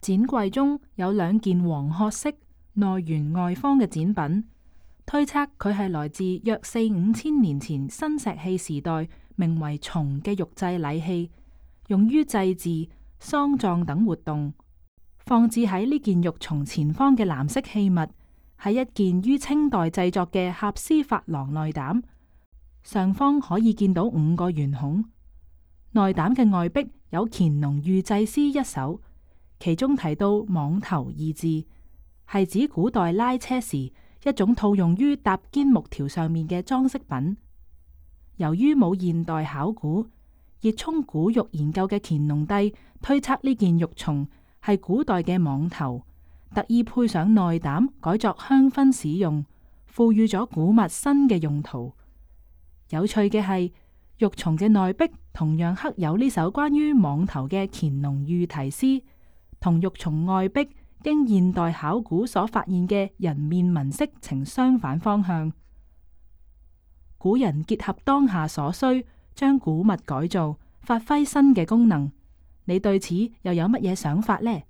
展櫃中有2件黃褐色、內圓外方嘅展品，推測佢係來自約4、5千年前新石器時代，名為叢嘅玉製禮器，用於祭祀、喪葬等活動。放置喺呢件玉叢前方嘅藍色器物，係一件於清代製作嘅合絲珐琅內膽，上方可以見到5個圓孔。內膽嘅外壁有乾隆御製詩1首，其中提到蟒頭2字，係指古代拉車時一種套用於搭肩木條上面嘅裝飾品。由於冇現代考古，熱衷古玉研究嘅乾隆帝推測呢件玉叢係古代嘅蟒頭，特意配上內膽改作香薰使用，賦予咗古物新嘅用途。有趣嘅係，玉叢嘅內壁同樣刻有呢首關於蟒頭嘅乾隆御題詩，同玉叢外壁經現代考古所發現嘅人面紋飾呈相反方向。古人結合當下所需，將古物改造，發揮新嘅功能。你對此又有乜嘢想法呢？